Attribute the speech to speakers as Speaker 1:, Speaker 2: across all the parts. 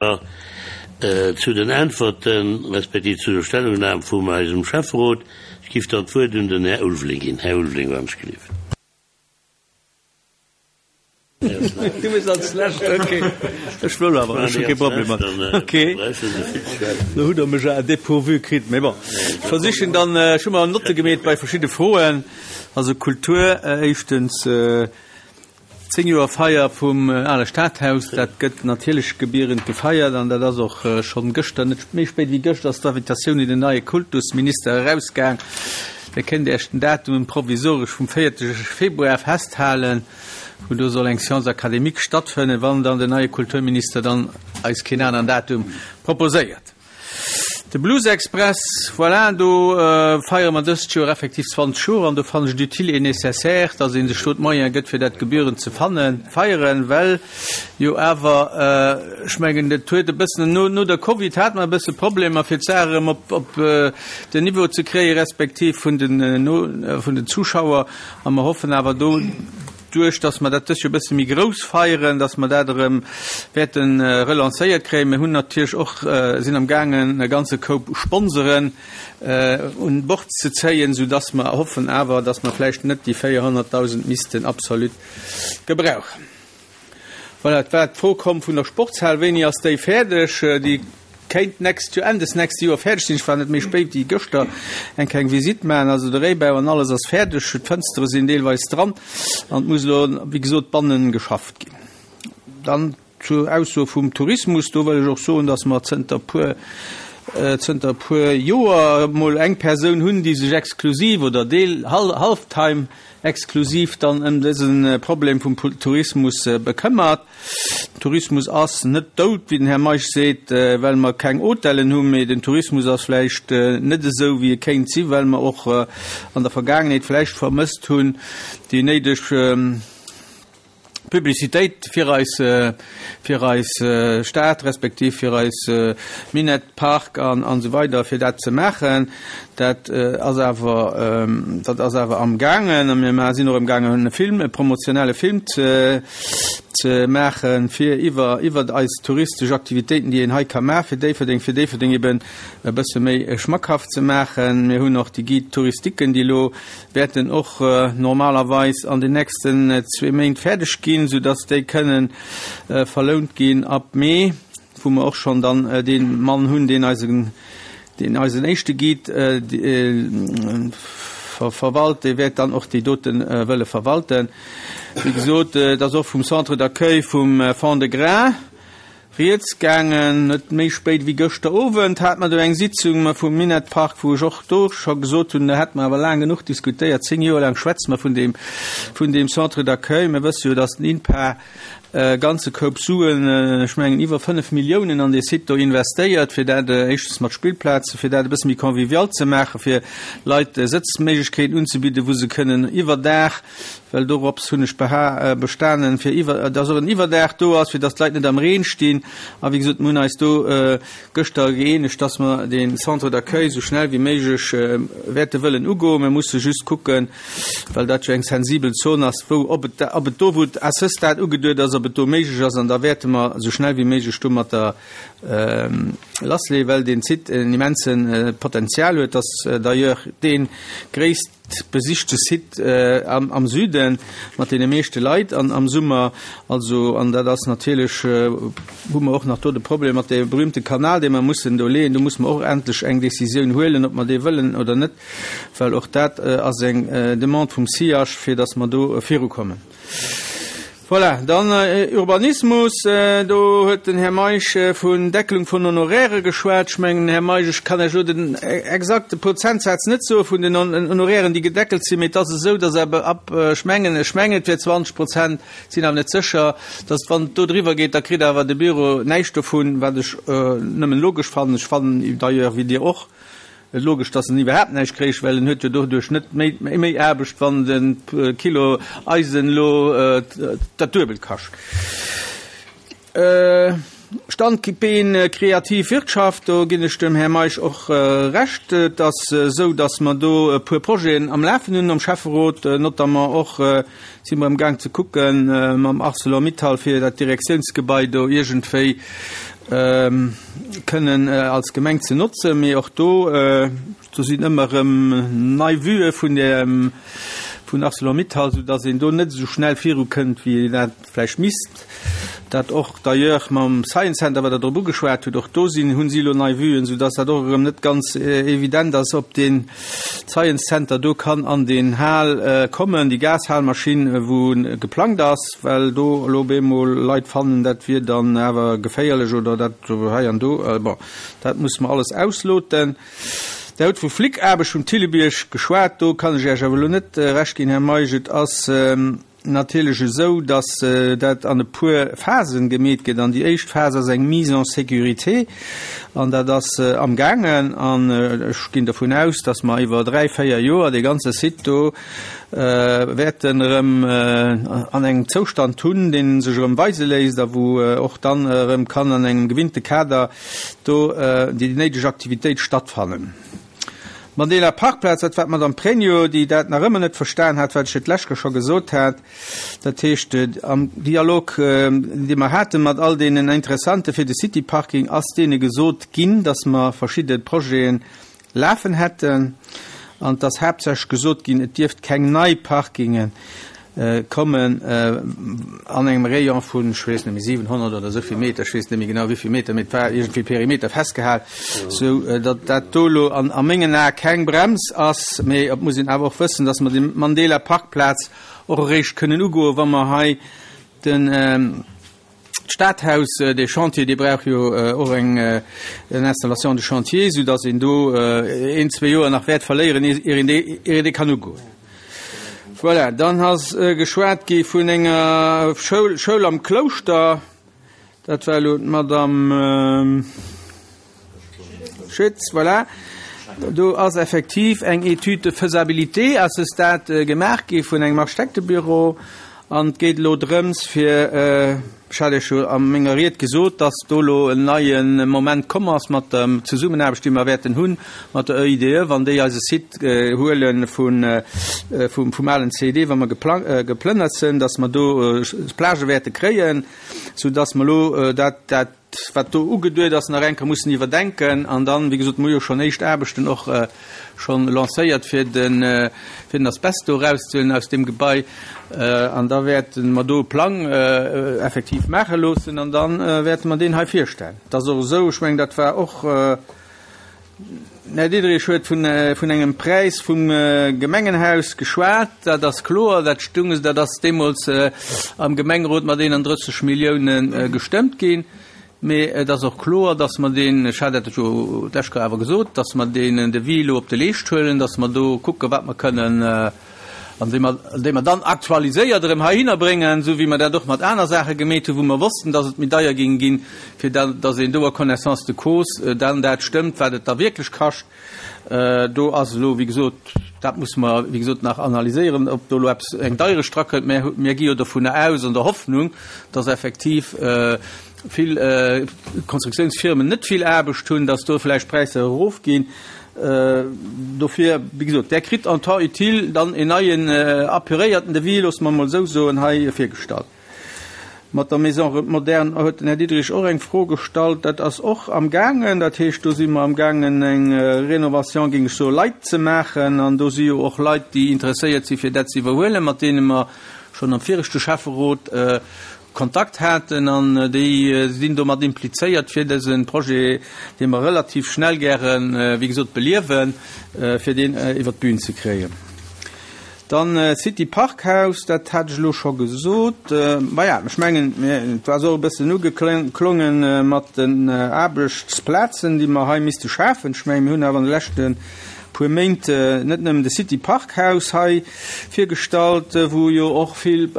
Speaker 1: Zu den Äntwerten, respektiv zu der Stellungnahme vum eisem Schäfferot. Ech giff dann d'Wuert un den Här Ulveling ginn. Här Ulveling, wann ech gelift.
Speaker 2: Du bist als Lescht, okay. Ech wëll awer, ech hu kee Problem mat. Okay. Lo hutt Der mech à dépourvu kritt, mee bon. Ech versichen dann, ech hu mer Notte gemeet bei verschidde Froen. Also Kultur, éischtens, 10 Joer Feier vum ale Stadhaus, dat gëtt natierlech gebierend gefeiert an dat ass och schonn gëschter, net méi spéit wéi gëschter ass d'Invitatioun un den neie Kultusminister erausgaang. Dir kënnt Iech den Datum provisoresch vum 4 Februar festhalen, wou do soll eng Séance académique stattfënnen, wann dann den neie Kulturminister dann eis keen aneren Datum proposéiert. De Blues Express, voilà, do feiere mer dëst Joer effektiv 20 Joer an do fannen ech et utile et nécessaire, dass ee sech do d'Moyene gëtt, fir dat gebührend ze fannen, feieren, well jo awer, ech mengen, et huet e bëssen, no, no der Covid hate mer e bësse Problemer, fir d'Saach erëm op, op den Niveau ze kréien, respektiv vun den, no, vun den Zuschauer a mer hoffen awer do, Duerch dass mer dat dës Joer e bësse méi grouss feieren, dass mer dat erëm wäerte relancéiert kréien. Mir hunn natierlech och, sinn am gaangen e ganze Koup Sponsoren un Bord ze zéien, soudass mer hoffen awer, dass mer vläicht net déi 400.000 missten absolut gebrauchen. Voilà, et war d'Fro komm vun der Sportshal, Wéini ass déi fäerdeg? Déi kéint d'nächst Joer, Enn des nächste Joer fäerdeg sinn. Ech war net méi spéit wéi gëschter eng kleng Visitt maachen. Also de Réibau an alles ass fäerdeg, d'Fënstere sinn deelweis dran an et muss elo, wéi gesot, bannen geschafft ginn. Dann zur Ausso vum Tourismus, do wëll ech och soen, dass mer zënter puer, zënter puer Joer emol eng Persoun hunn, déi sech exklusiv oder deel, half-time exklusiv dann ëm dëse Problem vum Tourismus bekëmmert. Den Tourismus ass net dout, wéi den Här Meisch seet, well mer keng Hotellen hunn, mee den Tourismus ass vläicht net esou, wéi e kéint sinn, well mer och an der Vergaangenheet vläicht vermësst hunn, déi néideg Publicitéit fir eis, fir eis Stad respektiv fir eis Minett Park an an esou weider fir dat ze maachen. Dat ass awer, dat ass awer amgaangen a mir sinn och amgaangen e Film, e promotionelle Film ze ze maachen, fir iwwer iwwer eis touristesch Aktivitéiten, déi een hei ka maachen, fir Déifferdeng, fir Déifferdeng eben e bësse méi schmackhaft ze maachen. Mir hunn och déi Guide touristiquen, déi elo wäerten och normalerweis an den nächsten zwee Méint fäerdeg ginn, soudass déi kënnen verlount ginn ab Mee, wou mer och schonn dann dee Mann hunn, deen eisen, deen eisen éischte Guide verwalt, dee wäert dann och déi dote wëlle verwalten. Wéi gesot, et ass och vum Centre d'accueil vum Fond-de-Gras Rieds gaangen. Net méi spéit wéi gëschter Owend hate mer do eng Sitzung vum Minett-Park, wou ech och do scho gesot hunn, do hätte mer awer laang genuch diskutéiert, 10 Joer laang schwätze mer vun deem, vun deem Centre d'accueil. Mir wësse jo, datt den INPA e ganze Koup Suen, ech mengen iwwer 5 Milliounen an dee Site do investéiert, fir dat éischtens mat Spillplaze, fir dat e bësse méi convivial ze maachen, fir Leit Sëtzméiglechkeeten unzebidden, wou se kënnen iwwer Dag Well dorops hunn ech bestanen, fir iwwer, dass och en Iwwerdaach do ass, fir dass d'Leit net am Reen stinn. A wéi gesot, mir hunn eis do gëschter gëeenegt, dass mer dee Centre d'accueil esou schnell wéi méiglech wäerte wëllen ugoen. Mir musse just kucken, well dat jo eng sensibel Zon ass, wou, ob et, ob et do, wou et à ce stade ugeduet ass, ob et do méiglech ass. An da wäerte mer esou schnell wéi méiglech domatter lassleeën, well deen Site en immense Potenzial huet. Ass d'ailleurs dee gréisst besichte Site am Süden mat deene meeschte Leit an am Summer. Also, an dat ass natierlech, hu mer och nach do de Problem mat deem berühmte Kanal, dee mer mussen do leeën. Do musse mer och endlech eng Décisioun huelen, ob mer dee wëllen oder net, well och dat ass eng Demande vum SIAJ, fir datt mer do virukommen. Voilà, dann Urbanismus, do huet den Här Meisch vun Deckelung vun Honorairë geschwat. Ech mengen, Här Meisch, ech kann Iech elo den exakte Prozentsaz net soe vun den Honorairen, déi gedeckelt sinn, mee et ass esou, dass awer ab, ech mengen, ech mengen et wier 20 Prozent, sinn awer net sécher, dass wann et do driwwer geet, da kritt awer de Büro näischt dovun, wat ech nëmmen logesch fannen. Ech fannen d'ailleurs, wéi Dir och, Et logesch, dass en iwwerhaapt näischt kréich, well en huet jo doduerch net méi méi Aarbecht, wann de Kilo Eisen elo dat Duebelt kascht. Standbeen kreativ Wirtschaft, do ginn ech dem Här Meisch och Recht. Et ass esou, dass mer do e puer Projeten am Lafen hunn am Schäfferot, notamment och si mer amgaang ze kucken mam Arcelor-Mittal, fir dat Direktiounsgebai do iergendwéi. Kënnen als Gemeng ze notzen. Mee och do, do sinn ëmmer erëm nei Vuë vun der, vun Arcelor-Mittal, soudass een do net esou schnell virukënnt, wéi een dat vläicht misst. Dat och d'ailleurs mam Science Center, wat Der drop ugeschwat hutt, och do sinn, hu si elo nei Vuen, soudass dat och erëm net ganz evident ass, ob dee Science Center do kann an deen Hal kommen, déi Gashalmaschinn, wou geplangt ass. Well do elo op eemol Leit fannen, dat wier dann awer geféierlech oder dat hei an do. Bon, dat musse mer alles ausloten. Der hutt vu Flickaarbecht vum Thillebierg geschwat. Do kann ech Iech awer elo net Recht ginn, Här Meisch. Et ass natierlech esou, datt dat an e puer Phasen gemeet gëtt. An déi éischt Phas ass eng Mise en sécurité. An dat ass amgaangen. An ech ginn dervun aus, datt mer iwwer dräi, véier Joer dee ganze Site do wäerten erëm an engem Zoustand hunn, dee sech erëm weise léisst a wou och dann erëm kann an engem gewinnte Kader do déi néideg Aktivitéit stattfannen. Mandela Parkplaz, dat war d'Madame Pregno, déi dat nach ëmmer net verstan hat, wat ech jo d'lescht Kéier scho gesot hat. Dat heescht, am Dialog, dee mer hate mat all deenen Interessante fir de City Parking, ass deene gesot ginn, dass mer verschidde Projeten lafen hätten an et ass haaptsächlech gesot ginn, et dierft keng nei Parkinge kommen an engem Rayon vun, ech weess net méi, 700 oder esou vill Meter, ech weess net méi genau wéi vill Meter, mee et war iergendwéi Perimeter festgehal, sou datt dat do elo an a mengen Ae keng Brems ass. Mee et muss een awer och wëssen, datt mer déi Mandela Parkplaz och eréischt kënnen ugoen, wa mer hei den, D'Stadhaus, dee Chantier, dee brauch jo och eng Installation de chantier, soudass een do een, zwee Joer nach wäert verléieren, ier een dee, ier een dee kann ugoen. Voilà, dann ass geschwat gi vun enger Schoul, Schoul am Klouschter. Dat war elo d'Madame. Schütz, voilà. Do ass effektiv eng Étude de faisabilité à ce stade gemaach gi vun engem Architektebüro an et geet elo drëms fir, ech hat Iech jo a menger Ried gesot, dass do elo en neie Moment komm ass mat der Zesummenaarbecht, déi mer wäerten hu mat der EIDE, wann déi eise Site huele vun, vum alen CED, wa mer geplënnert sinn, dass mer do Plagë wäerte kréien, soudass mer elo dat, dat, wat do ugeduet ass, nach eng Kéier mussen iwwerdenken. An dann, wéi gesot, mir hu jo schonn éischt Aarbechten och schonn lancéiert, fir den, fir den Asbest do erauszehuelen aus deem Gebai. An da wäerte mer do e Plang effektiv maache loossen an da wäerte mer deen hei virstellen. Et ass och esou, ech mengen, dat war och, Den Här Diderich huet vun engem Präis vum Gemengenhaus geschwat. Dat ass kloer, dat stung, dat ass deemools am Gemengerot mat 31 Millioune gestëmmt ginn. Mee et ass och kloer, datt mer deen, ech hat dat jo d'lescht Kéier awer gesot, datt mer deen Devis elo op de Leescht huelen, datt mer do kucken, wat mer kënnen, an déi mer, déi mer dann aktualiséiert erëm heihinner bréngen, esou wéi mer dat och mat aner Saache gemeet hunn, wou mer wossten, dass et méi deier géing ginn, fir da, dass een do a connaissance de cause dann dat stëmmt, wat et da wierklech kascht. Do ass elo, wéi gesot, dat musse mer, wéi gesot, nach analyséieren, ob do elo eppes, eng Deierecht drakënnt. Mä mir gi jo dovunner aus, an der Hoffnung, dass effektiv vill Konstruktiounsfirmen net vill Aarbecht hunn, dass do vläicht d'Präisser erofginn. Dofir, wéi gesot, Der kritt en temps utile dann en neien apuréierten Devis, loosse mer emol esou soen, hei virgestallt. Mat der Maison moderne huet den Här Diderich och eng Fro gestallt. Dat ass och amgaangen. Dat heescht, do si mer amgaangen, eng Rénovation, géing ech soen, light ze maachen. An do si jo och Leit, déi interesséiert si fir dat ze iwwerhuelen, mat deene mer schonn am viregte Schäfferot Kontakt haten an déi sinn domat implizéiert fir dëse Projet, dee mer relativ schnell gären, wéi gesot, beliewen, fir deen iwwert d'Bühn ze kréien. Dann City Parkhaus, dat hat ech elo scho gesot. Maja, ech mengen, et war och e bëssen ugeklongen mat den Aarbechtsplazen, déi mer hei misste schafen. Ech mengen, mir hunn awer an de leschte puer Méint net nëmmen de City Parkhaus hei virgestallt, wou jo och vill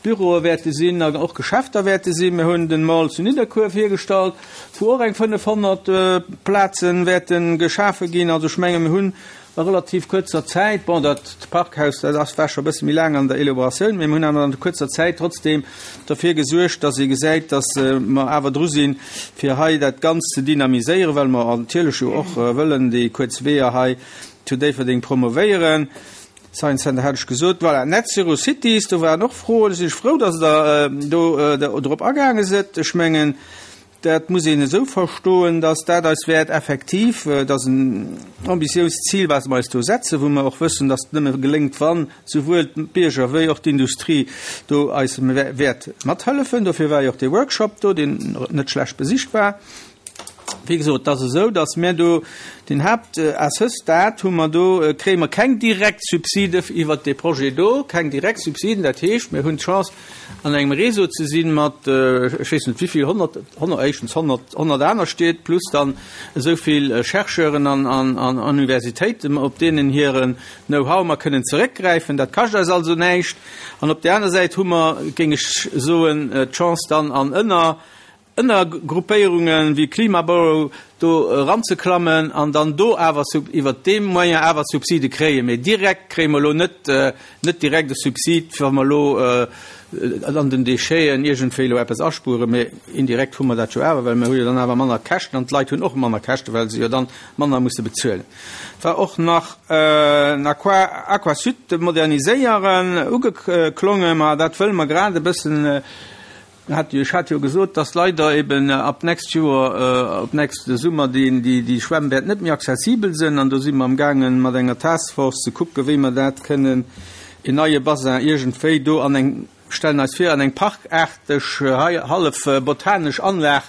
Speaker 2: Büroe wäerte sinn an och Geschäfter wäerte sinn. Mir hunn den Mall zu Nidderkuer virgestallt, wou och eng 500 Plaze wäerte geschafe ginn. Also ech menge mir hunn a relativ kuerzer Zäit, bon dat Parkhaus, dat ass war scho e bësse méi laang an der Elaboratioun, mee mir hunn awer an kuerzer Zäit trotzdeem derfir gesuergt, datt ee gesäit, datt mer awer dru sinn, fir hei dat Ganzt ze dynamiséieren, well mer natierlech jo och wëllen déi kuerz Weeër hei zu Déifferdeng promovéieren. Science Center hat ech gesot. Voilà, Net Zero Cities, do waren och Froen. Do sinn ech frou, dass Der do drop agaange sidd. Ech mengen, Dat muss een esou verstoen, dass dat eis wäert effektiv, et ass en ambitiöst Zil, wat mer eis do setzen, wou mer och wëssen, dass et nëmme geléngt, wann souwuel d'Bierger wéi och d'Industrie do eis wäert mathëllefen. Dofir war jo och dee Workshop do, deen net schlecht besicht war. Wéi gesot, et ass esou, dass mir do den Haapt, à ce stade hu mer do, kréie mer keng direkt Subside iwwert dee Projet do, keng direkt Subsiden. Dat heescht, mir hunn d'Chance, an engem Réseau ze sinn mat, ech weess net wéivill, 100, 100, éischtens 100, 100 aner Stied plus dann esou vill Chercheuren an, an, an Universitéiten, op deenen hiren Know-how mer kënnen zeréckgräifen. Dat kascht eis also näischt. An op där aner Säit hu mer, géing ech soen, d'Chance dann an ënner, Ënnergruppéierunge wéi Klimaborough do eranzeklammen an dann do awer iwwert dee Moyen awer Subside kréien. Mee direkt kréie mer elo net, net direkt e Subsid, wa mer elo an den Décheten iergendwéi elo eppes aspueren. Mee indirekt hu mer dat jo awer, well mer hu jo dann awer manner Käschten an d'Leit hunn och manner Käschten, well se jo dann manner musse bezuelen. Et war och nach en Aqua, Aquasud moderniséieren ugeklongen. Ma dat wëlle mer grad e bëssen Ech hat jo gesot, dass leider eben ab nächst Joer, ab nächste Summer déi Schwämm wäert net méi accessibel sinn. An do si mer amgaangen, mat enger Taskforce ze kucken, wéi mer dat kënnen, en neie Bassin iergendwéi do an eng, stellen eis vir, an eng parkaarteg, hallef botanesch Anlag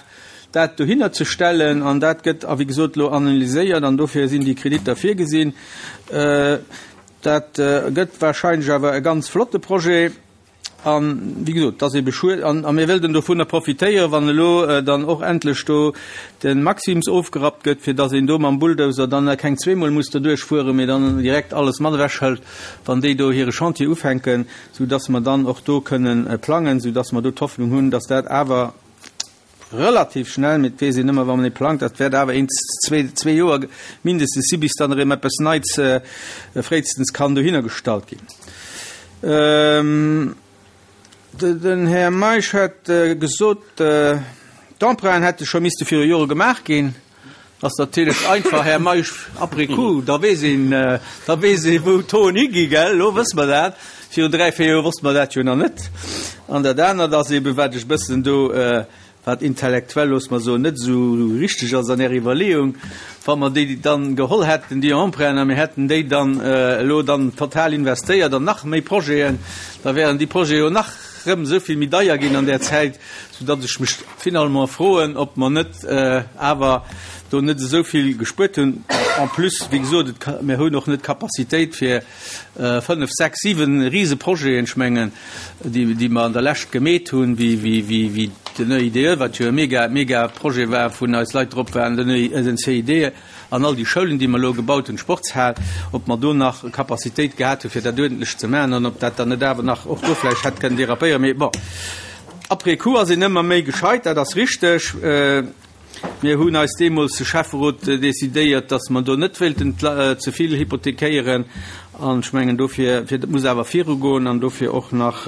Speaker 2: dat dohinner ze stellen. An dat gëtt, a wéi gesot, elo analyséiert an dofir sinn déi Kreditter virgesinn. Dat gëtt wahrscheinlech awer e ganz flotte Projet. An, wéi gesot, et ass ebe schued. An a mir wëllten dovunner profitéieren, wann elo dann och endlech do de Maxims ofgerappt gëtt, fir dass een do mam Bulldozer dann keng zweemol muss derduerch fueren, mee dann direkt alles mat ewechhëlt, wann déi do hire Chantier ufänken, soudass mer dann och do kënnen plangen, soudass mer do d'Hoffnung hunn, dass dat awer Relativ schnell, mee et weess een ëmmer, wa man ee plangt, dat wäert awer een, zwee Joer mindestens si bis dann erëm eppes Neits fréistens kann dohinner gestallt ginn. Den Här Meisch huet gesot, d'Emprunten hätte scho misste viru Jore gemaach ginn. Ass natierlech einfach, Här Meisch, après coup, da weess een, da weess ee wou d'Hoen higi, gell? Elo wësse mer dat. Virun dräi, véier Joer wosste mer dat jo nach net. An dat anert ass eeben, wat ech e bëssen do, wat intellektuell, loosse mer soen, net esou richteg ass an Ärer Iwwerleeung, Wa mer déi dann geholl hätten, déi Emprunten, a mir hätten déi dann elo dann total investéiert an nach méi Projeten, da wären déi Projete jo nach rëm esou vill méi deier ginn an där Zäit, soudatt ech mech finalement froen, ob mer net awer do net esou vill gespuert hunn. En plus, wéi gesot, et, mir hunn och net d'Capacitéit fir fënnf, sechs, siwe Riseprojeten, ech mengen, déi, déi mer an der Lescht gemeet hunn, wéi, wéi, wéi, wéi den EIDE, wat jo e mega, mega Projet war, wou eis Leit drop waren, den EI, den CID, An all déi Schoulen, déi mer elo gebaut hunn, d'Sportshal, ob mer do nach Capacitéit gehat hunn, fir dat uerdentlech ze maachen an ob dat dann net awer nach och do vläicht hätt kënnen dérapéieren. Mee bon, après coup ass een ëmmer méi gescheit, dat ass richteg. Mir hunn eis deemools, de Schäfferot, decidéiert, dass mer do net wéilten ze vill hypothekéieren. An ech mengen dofir, fir, dat muss awer virugoen an dofir och nach,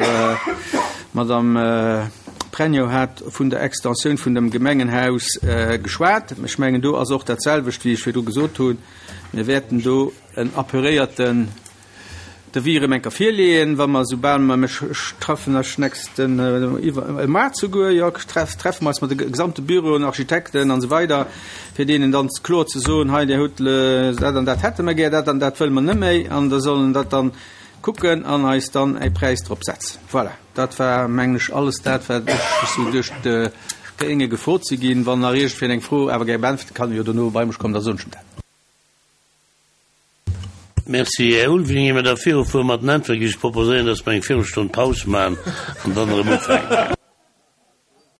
Speaker 2: d'Madame Pregno hat vun der Extensioun vun dem Gemengenhaus geschwat. Ech mengen do ass och dat selwecht, wéi ech virdru gesot hunn. Mir wäerten do en apuréierten Devis erëm eng Kéier virleeën, wa mer, soubal mer, ech treffen eis nächsten, iwwer, e Moart souguer, jo, treffe mer eis mat de gesamte Büroen, Architekten an esou weider, fir deenen dann kloer ze soen, hei Dir hutt dat an dat hätte mer gär, dat an dat wëlle mer net méi, an da sollen dat dann kucken an eis dann e Präis drop setzen. Voilà, dat war, mengen ech, alles dat, wat ech esou duerch d'Géinge gefrot si ginn. Wann nach iergendwien eng Fro awer gär beäntwerte kann, jo dono bei mech kommen, da soen ech em dat.
Speaker 1: Merci, Här Ulveling. Ier mer da virufuere mat den Äntwerte géif ech proposéieren, dass mer eng Virelstonn Paus maachen an dann erëm ufänken.